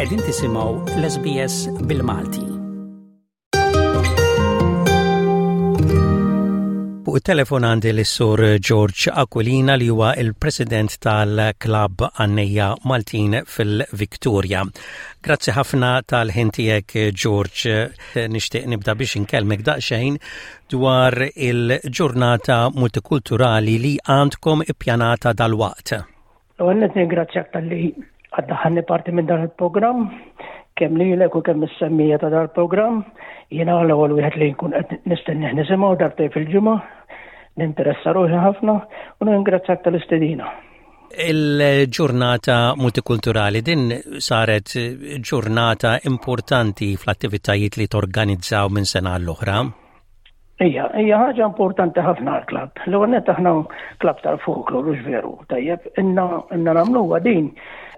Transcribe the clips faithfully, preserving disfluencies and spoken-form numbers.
Qegħdin tisimgħu l-S B S bil-Malti. Fuq it-telefon għandi l-Sur George Aquilina, li huwa il-President tal-Klabb Għannejja Maltin fil-Victoria. Grazzi ħafna tal-ħin tiegħek, George. Nixtieq nibda biex inkellmek daqsxejn dwar il-ġurnata multikulturali li għandkom ippjanata dal-waqt. Għalhekk nirringrazzjak talli għaddaħanni parti minn dan il-programm, kemm lilek u kemm is-semmiegħa ta' dan il-programm. Jiena l-ewwel wieħed li nkun qed nistennih nisimgħu darbtejn fil-ġimgħa, ninteressa ruħi ħafna u nirringrazzjak tal-istedina. Il-ġurnata multikulturali din saret ġurnata importanti fl-attivitajiet li torganizzaw minn sena l-oħra. Ija, hija ħaġa importanti ħafna għal-klabb. L-ewwel nett aħna klabb tal-folklor, hux veru, tajjeb, ilna ilna nagħmluha din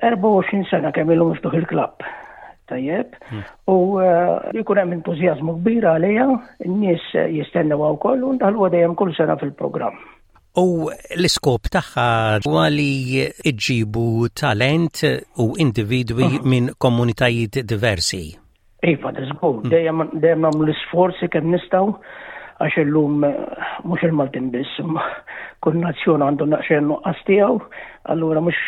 erbgħa u għoxrin sena kemm ilu miftuħ il-klabb. Tajjeb, u jkun hemm entużjażmu kbir għalija, n-nies jistennew wkoll u ndaħluha dejjem kull sena fil-programm. U l-iskop tagħha huwa li iġibu talent u individwi minn komunitajiet diversi. Iva, żgur, dejjem dejjem nagħmlu l-isforzi kemm nistgħu, għax illum mhux il-Maltin biss, imma kull nazzjon għandu naqxen nuqqas tiegħu, allura mhux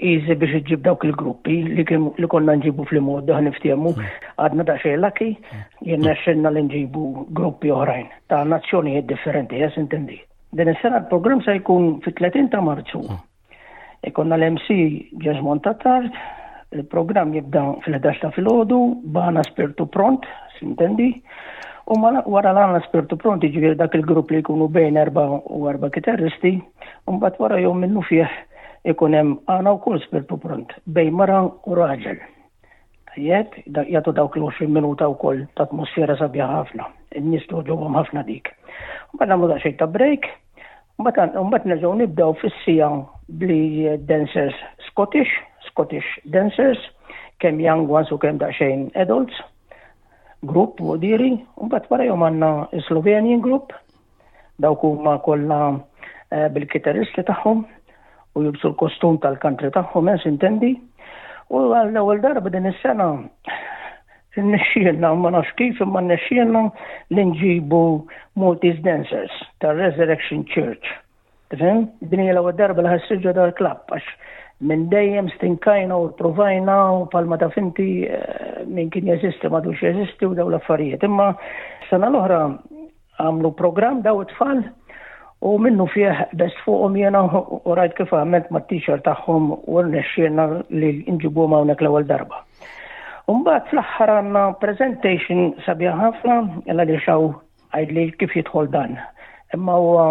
easy biex iġġib dawk il-gruppi li kien li konna nġibu fl-imgħoddi, ħa niftehmu, għadna daqsxejn lucky, jirnexxilna li nġibu gruppi oħrajn ta' nazzjonijiet differenti, jes intendi. Din is-sena l-programm se jkun fit-tletin ta' Marzu. Ikollna l-M C Jesmond Tattard, il-programm jibda fil-ħdax ta' filgħodu, b'għana spirtu pront, sintendi, u wara l-għana spirtu pront, ġifieri dak il-grupp li jkunu bejn erba u erba kitarristi, u mbagħad wara jom minnu fih ikun hemm għana wkoll spirtu pront bejn mara u raġel. Tajjeb, jagħtu dawk l-għoxrin minuta wkoll ta' atmosfera sabiħa ħafna. In-nies togħġobhom ħafna dik. Mbagħad nagħmlu daqsxejn ta' break, mbagħad mbagħad nerġgħu nibdew fis-siegħa bli dancers Scottish, Scottish dancers, kemm young ones u kemm daqsxejn adults, grupp u diri, u mbagħad wara jom għandna Slovenian group, dawk huma kollha eh, bil-kitarristi tagħhom u jilbsu l-kostum tal-country tagħhom, eh, intendi. U għall-ewwel darba din is-sena rnexxielna, ma nafx kif, imma rnexxielna li nġibu Maltese Dancers tal-Resurrection Church. Tifhem? Din hija l-ewwel darba li ħa ssir ġo dal-klabb, għax minn dejjem stinkajna u provajna u palma ta' finti eh, min kien jeżisti m'għadux jeżisti u daw l-affarijiet. Imma sena l-oħra għamlu program daw it-tfal u minnu fih best fuqhom jena u rajt kif għamilt ma' teacher tagħhom u rnexxielna li nġibuhom hawnhekk l-ewwel darba. Umbagħad fl-aħħar għandna presentation sabiħa ħafna, illa li xaw għajdli kif jidħol dan. Imma huwa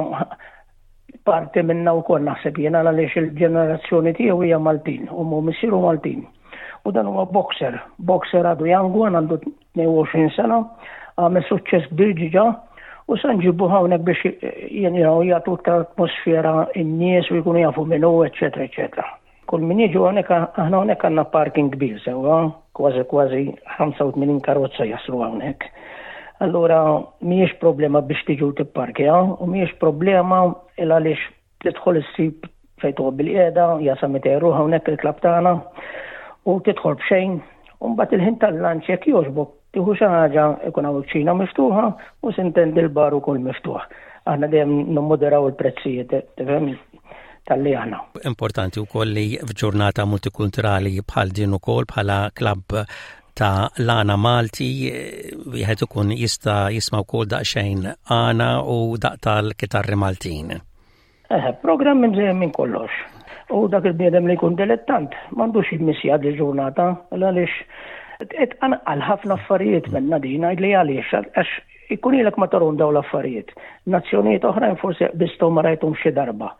parti minna wkoll, naħseb jiena, għaliex il-ġenerazzjoni tiegħu hija Maltin u mu missieru Maltin. U dan huwa boxer, boxer għadu young one, għandu tnejn u għoxrin sena, għamel suċċess kbir ġiġa u sa nġibu hawnhekk biex jenu jagħtu iktar atmosfera in-nies u jkunu jafu minnu, eċetera, eċetera. Kull min jiġu hawnhekk, aħna hawnhekk għandna parking kbir sewwa, kważi kważi ħamsa u tmenin karozza jaslu hawnhekk. Allura mhijiex problema biex tiġu tipparkja u mhijiex problema il għaliex tidħol issib fejn toqgħod bil-qiegħda, jasa mitejn ruħ hawnhekk il-klabb tagħna u tidħol b'xejn. U mbagħad il-ħin tal-lunch, jekk jogħġbok tieħu xi ħaġa, ikun hawn kċina miftuħa u sintendi l-bar ukoll miftuħ. Aħna dejjem nimmoderaw il-prezzijiet, tifhem, tal-li aħna. Importanti wkoll li f'ġurnata multikulturali bħal din ukoll, bħala klabb ta' l-għana Malti, wieħed ikun jista' jisma' wkoll daqsxejn għana u daq tal-kitarri Maltin. Eh, programm minn minn kollox. U dak il-bniedem li jkun dilettant m'għandux jimmissja di ġurnata, għaliex tqanqal ħafna affarijiet minna din, għidli għaliex, għax ikun ilek ma tarahom daw l-affarijiet. Nazzjonijiet oħrajn forsi bistgħu ma rajthom xi darba.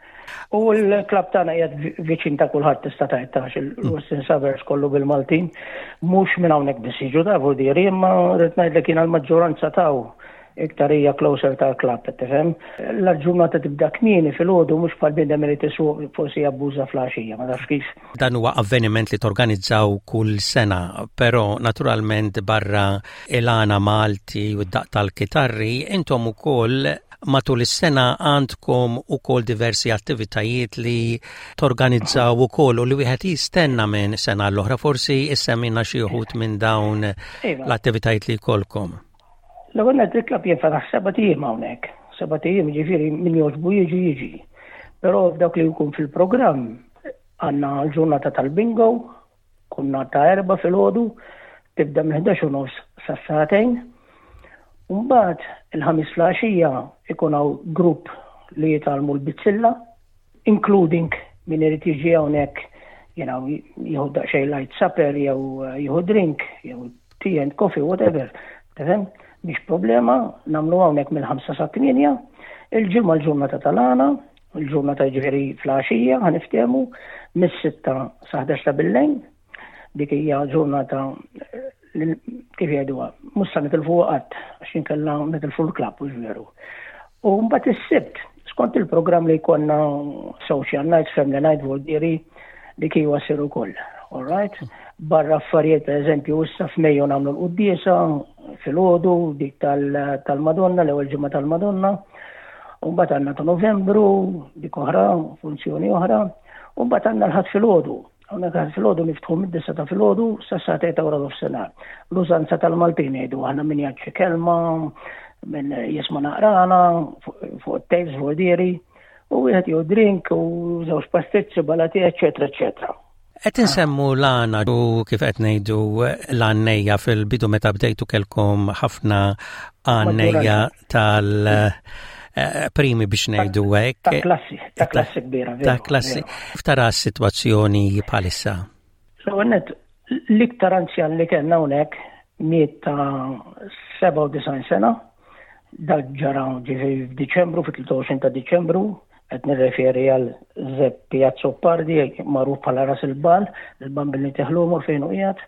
U l-klabb tagħna qiegħed viċin ta' kulħadd, tista' tgħid tax il-Western Suburbs kollu bil-Maltin, mhux minn hawnhekk biss jiġu ta' vuldiri, imma rrid ngħidlek jiena l-maġġoranza taw iktar hija closer tal-klabb, tifhem? L-ġurnata tibda kmieni filgħodu, mhux bħal bniedem li tisuq forsi jabbuża fl-għaxija, ma nafx kif. Dan huwa avveniment li torganizzaw kull sena, però naturalment barra il-għana Malti u d-daq tal-kitarri, intom ukoll Matul is-sena għandkom ukoll diversi attivitajiet li torganizzaw ukoll u li wieħed jistenna minn sena l-oħra. Forsi issemmina xi wħud minn dawn Iva. l-attivitajiet li jkollkom. L-ewwel nett, il-klabb jinfetaħ sebat ijiem hawnhekk. Sebat ijiem, ġifieri min jogħġbu jiġi jiġi. Però f'dawk li jkun fil-programm għandna l-ġurnata tal-bingo, kunna ta' erba' filgħodu, tibda minn ħdax u nofs sa sagħtejn. Mbagħad il-Ħamis filgħaxija ikun hawn grupp li jitgħallmu l-bizzilla, including min irid jiġi hawnhekk you know, jieħu daqsxejn light supper jew eh, jieħu drink, jew tea and coffee, whatever. Tifhem? Mhix problema, nagħmlu hawnhekk mill-ħamsa sa tmienja. Il-Ġimgħa l-ġurnata tal-għana, il-ġurnata, ġifieri filgħaxija, ħa niftehmu, mis-sitta sa ħdax ta' billejl. Dik hija ġurnata eh, li kif jgħiduha, mhux sa nitilfu qatt, għax inkella nitilfu l-klabb, mhux veru? U mbagħad is-Sibt, skont il-programm li jkollna, social night, family night, voldieri, dik huwa ssir ukoll. All right? Barra affarijiet, per eżempju, issa f'Mejju nagħmlu l-quddiesa filgħodu, dik tal- tal-Madonna, l-ewwel ġimgħa tal-Madonna. U mbagħad għandna ta' Novembru, dik oħra, funzjoni oħra, u mbagħad għandna l-Ħadd filgħodu. Hawnhekk Ħadd filgħodu niftħu mid-disgħa ta' filgħodu sa sagħtejn ta' wara nofsinhar. L-użanza tal-Maltin jgħidu aħna, min jgħid xi kelma, min jisma' naqra fuq fuq it-tapes voldieri, u wieħed jew drink u żewġ pastizzi, balati, eċetera, eċetera. Qed insemmu l-għana u kif qed ngħidu l-għannejja, fil-bidu meta bdejtu kelkom ħafna għannejja tal eh, primi biex ngħidu hekk. Ta' klassi, ta' klassi kbira. Ta' veru, klassi. veru. Kif tara s-sitwazzjoni bħalissa? L-ewwel nett, l-iktar anzjan li kellna hawnhekk miet ta' sebgħa u disgħin sena, dak ġara ġifieri f'Diċembru, fit-tlieta u għoxrin ta' Diċembru, qed nirreferi għal Zeppi Azzopardi, magħruf bħala Ras il-Bal, il-bambini teħlumur fejn hu qiegħed.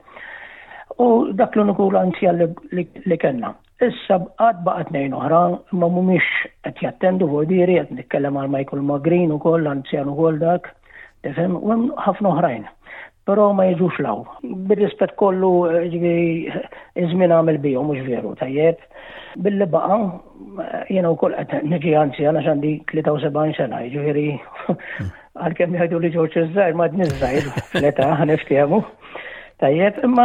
U dak l-uniku l-anzjan li, li, li kellna. Issa għad baqa' tnejn oħra, imma mhumiex qed jattendu voldieri, qed nitkellem għal Michael Magrin ukoll, anzjan ukoll dak, tifhem, u hemm ħafna oħrajn. Però ma jiġux 'l hawn. Bir-rispett kollu, eh, ġifieri iż-żmien għamel bihom, mhux veru, tajjeb? Billi baqa', eh, jiena wkoll qed niġi anzjan għax għandi tlieta u sebgħin sena, ġifieri għalkemm jgħidu li Ġorġ iż-żgħir, ma żgħir fl-età, ħa niftehmu. Tajjeb, imma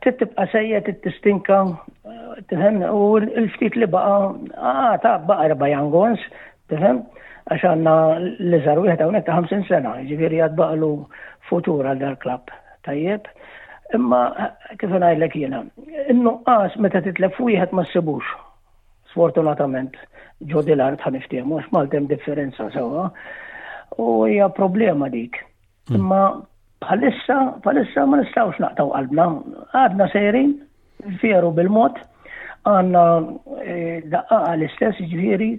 trid tibqa' sejjer, trid tistinka, tifhem, u l-ftit li baqa', ah, ta' baqa' erba' young ones, tifhem, għax għandna l-iżgħar wieħed hawnhekk ta' ħamsin sena, ġifieri għad baqalu futur għal dal-klabb. Tajjeb, imma kif ngħidlek jiena, in-nuqqas meta titlef wieħed ma ssibux. Sfortunatament, ġo dil-art, ħa niftehmu, għax Malta hemm differenza sewwa. U hija problema dik. Imma bħalissa, bħalissa ma nistgħux naqtaw qalbna. Għadna sejrin, veru bil-mod, għandna eh, daqqaqa l-istess, ġifieri,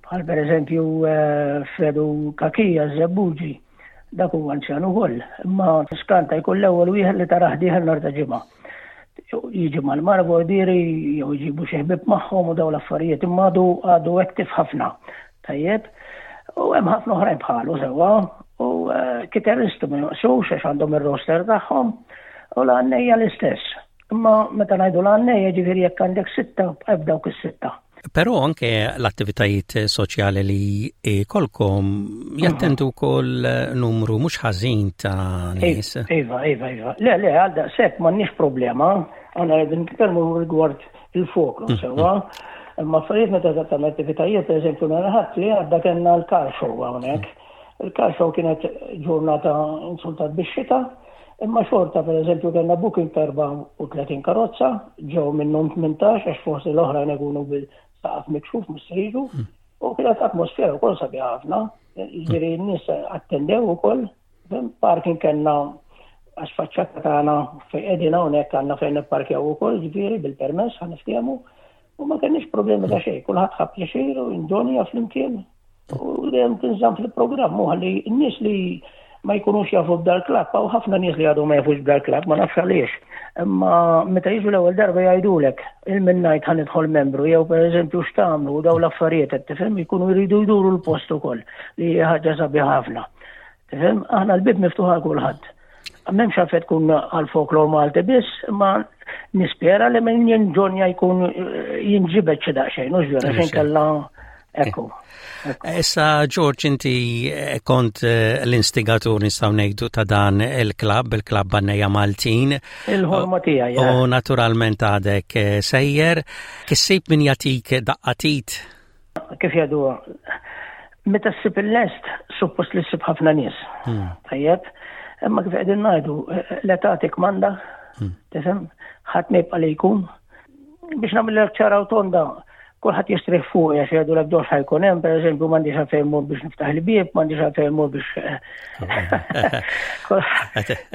bħal per eżempju eh, Fredu Kakija Zebbuġi, dak huwa anzjan ukoll, imma skanta jkun l-ewwel wieħed li tarah dieħel nhar ta' Ġimgħa. Jiġi mal-mara voldieri jew jġibu xi ħbieb magħhom u dawn l-affarijiet, imma għadu għadu active ħafna. Tajjeb, u hemm ħafna oħrajn bħalu sewwa, u eh, kitarristi ma jonqsux għax għandhom ir-roster tagħhom u l-għannejja l-istess. Imma meta ngħidu l-għannejja, ġifieri jekk għandek sitta, bqaj dawk is-sitta. Però anke l-attivitajiet soċjali li jkollkom jattendu wkoll numru mhux ħażin ta' nies. Iva, iva, iva. Le, le, għal daqshekk m'għandniex problema. Għandna qegħdin nitkellmu rigward il-folklor, sewwa. Imma affarijiet meta tagħmel attivitajiet, per eżempju, nhar Ħadd li għadda kellna l-car show hawnhekk. Il-car show kienet ġurnata insultat bix-xita, imma xorta, per eżempju, kellna booking ta' erbgħa u tletin karozza, ġew minnhom tmintax għax forsi l-oħrajn ikunu bil-saqaf mikxuf mhux se jiġu. U kienet atmosfera wkoll sabiħa ħafna, ġifieri n-nies attendew ukoll, parking kellna għax faċċata tagħna fejn qegħdin hawnhekk għandna fejn nipparkjaw ukoll, ġifieri bil-permess, ħa niftehmu, u ma kenniex problemi ta' xejn, kulħadd ħa pjaċir u enjoyja flimkien u dejjem tinżamm fil-programm u ħalli n-nies li ma jkunux jafu b'dal-klabb, u ħafna nies li għadu ma jafux b'dal-klabb, ma nafx għaliex. Imma meta jiġu l-ewwel darba jgħidulek il-minnajt ħa nidħol membru, jew per eżempju x'tagħmlu u daw l-affarijiet, qed tifhem, jkunu jridu jduru l-post ukoll, li hija ħaġa sabiħa ħafna. Tifhem, aħna l-bib miftuħ għal kulħadd. M'hemmx għalfejn tkun għal folklor Malti biss, imma nispera li min jenjoyja jkun eh, jinġibed xi daqsxejn, mhux vera, xejn kella Ekku. Issa, George, inti eh, kont eh, l-instigatur nistgħu ngħidu ta' dan il-klabb, il-klabb Bannejja Maltin. Il-ħolma tiegħi. U naturalment għadek eh, sejjer. Kissib min jagħtik daqqa t'id? Kif jgħidu, meta ssib il-lest, suppost li ssib ħafna nies. Hmm. Tajjeb, imma kif qegħdin ngħidu, l-età tikmanda, hmm. tifhem, ħadd ma jibqa' li jkun. Biex nagħmel ċara u tonda, kulħadd jistrieħ fuq għax jgħidu l dox ħa jkun hemm, pereżempju m'għandix għalfejn mur biex niftaħ il-bieb, m'għandix għalfejn mur biex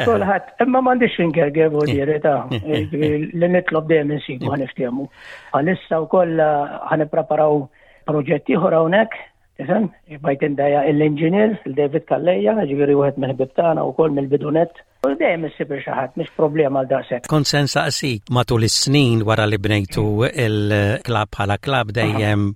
kulħadd, imma m'għandix ingerger vuol ta' li nitlob dejjem insibu ħa niftehmu. Għalissa wkoll ħa nippreparaw proġett ieħor hawnhekk, tifhem? Bajt indaja l-engineer, il-David Calleja, ġifieri wieħed mill-ħbieb tagħna wkoll mill-bidu nett. U dejjem issib xi ħadd, mhix problema għal daqshekk. Kont se nsaqsik matul is-snin wara li bnejtu il-klabb bħala klabb dejjem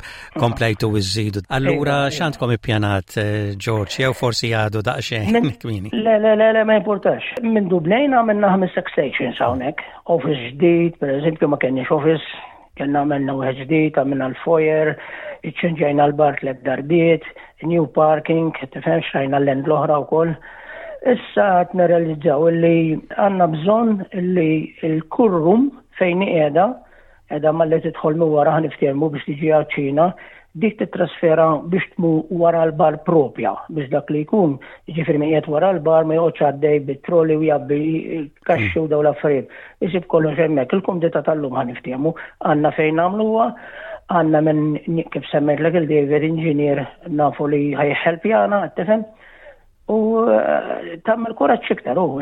komplejtu iżżidu. Allura iva, iva. x'għandkom ippjanat eh, George, jew forsi għadu daqsxejn kmieni? Le, le, le, le, ma importax. Minn bnejna għamilna ħames stations hawnhekk. Office ġdid, per eżempju, ma kenniex office, kellna għamilna wieħed ġdid, għamilna l-foyer, iċċenġajna l-bar tliet darbiet, new parking, tifhem xtrajna l-end l-oħra wkoll. Issa qed nirrealizzaw illi għandna bżonn illi il-cool room fejn qiegħda, qiegħda malli tidħol minn wara ħa niftehmu biex tiġi għaċ-Ċina, dik titrasfera biex tmur wara l-bar propja, biex dak li jkun, ġifieri min qiegħed wara l-bar ma joqgħodx għaddej bit-trolley u jgħabbi kaxxi u daw l-affarijiet. Isib kollox hemmhekk, il-kumdità tal-lum ħa niftehmu, għandna fejn nagħmluha, għandna minn kif semmejtlek il-David Engineer nafu li ħa jħelpjana, tifhem? U eh, tagħmel kuraġġ iktar u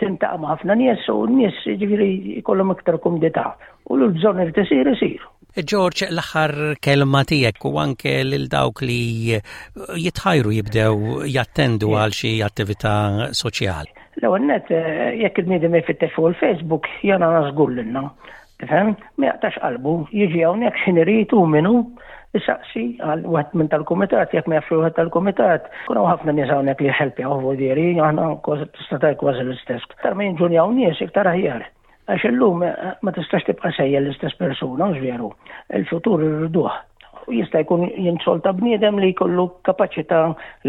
tiltaqa' ma' ħafna nies u n-nies ġifieri jkollhom iktar kumdità. U l-bżonn irid isir isir. George, l-aħħar kelma tiegħek u anke lil dawk li jitħajru jibdew jattendu għal xi attività soċjali. L-ewwel net eh, jekk il-bniedem jfittex fuq il-Facebook jana żgur lilna. Tifhem? Ma jaqtax qalbu, jiġi hawnhekk x'ħin irid u minnu isaqsi għal wieħed minn tal-kumitat, jekk ma jafx wieħed tal-kumitat. Kuna ħafna nies hawnhekk li jħelpjaw vuol aħna tista' tgħid kważi l-istess. Iktar ma jinġunjaw nies iktar aħjar. Għax illum eh, ma tistax tibqa' sejjer l-istess persuna, mhux veru. Il-futur irriduh. U jista' jkun jinsolta bniedem li jkollu kapaċità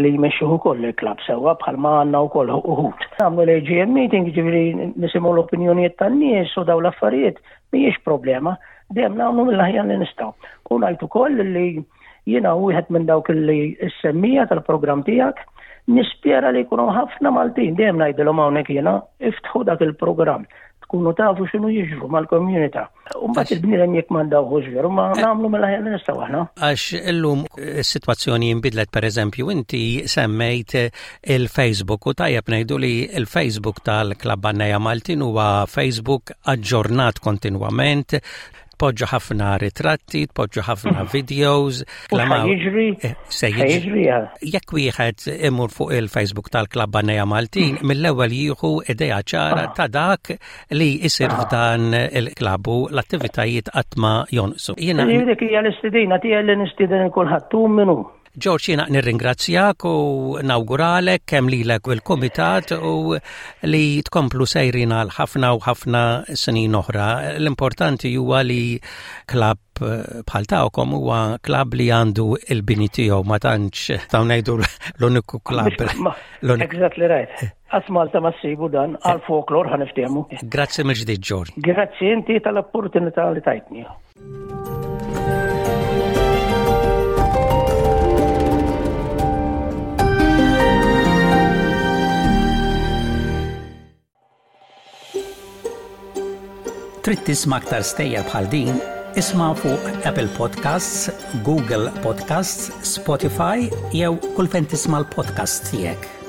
li jmexxih ukoll il-klabb sewwa bħalma għandna wkoll uħud. Nagħmlu l-AGM meeting, ġifieri nisimgħu l-opinjonijiet tan-nies u daw l-affarijiet mhijiex problema, dejjem nagħmlu mill-aħjar li nistgħu. U ngħid ukoll li jiena wieħed minn dawk li s-semmija tal-programm tiegħek nispera li jkunu ħafna Maltin, dejjem ngħidilhom hawnhekk jiena iftħu dak il-programm tkunu tafu x'inhu jiġru mal-komunità. U mbagħad il-bniedem jekk m'għandawhux veru ma eh. nagħmlu mill-aħjar li nistgħu aħna. Għax illum is-sitwazzjoni jinbidlet pereżempju inti semmejt il-Facebook u tajjeb ngħidu li il-Facebook tal-Klabb Bannejja Maltin huwa Facebook aġġornat kontinwament tpoġġu ħafna ritratti, tpoġġu ħafna mhm. videos. Jiġri, eh, se jiġri. Jekk wieħed imur fuq il-Facebook tal-Klabb Bannejja Maltin, mhm. mill-ewwel jieħu idea ċara ah. ta' dak li jsir ah. f'dan il-klabb u l-attivitajiet qatt ma jonqsu. Jiena dik hija l-istedina tiegħi li nistieden kulħadd hu minnu. George, jiena nirringrazzjak u nawguralek kemm lilek u l-kumitat u li tkomplu sejrin għal ħafna u ħafna snin oħra. L-importanti huwa li klabb bħal tagħkom huwa klabb li għandu il-bini tiegħu ma tantx ta' ngħidu l-uniku klabb. Exactly right. Għas Malta ma ssibu dan għal folklor ħa niftehmu. Grazzi mill-ġdid, George. Grazzi inti tal-opportunità li tajtni. Trid tisma' aktar stejjer bħal din? Isma' fuq Apple Podcasts, Google Podcasts, Spotify jew kull fejn tisma' l-podcast tiegħek.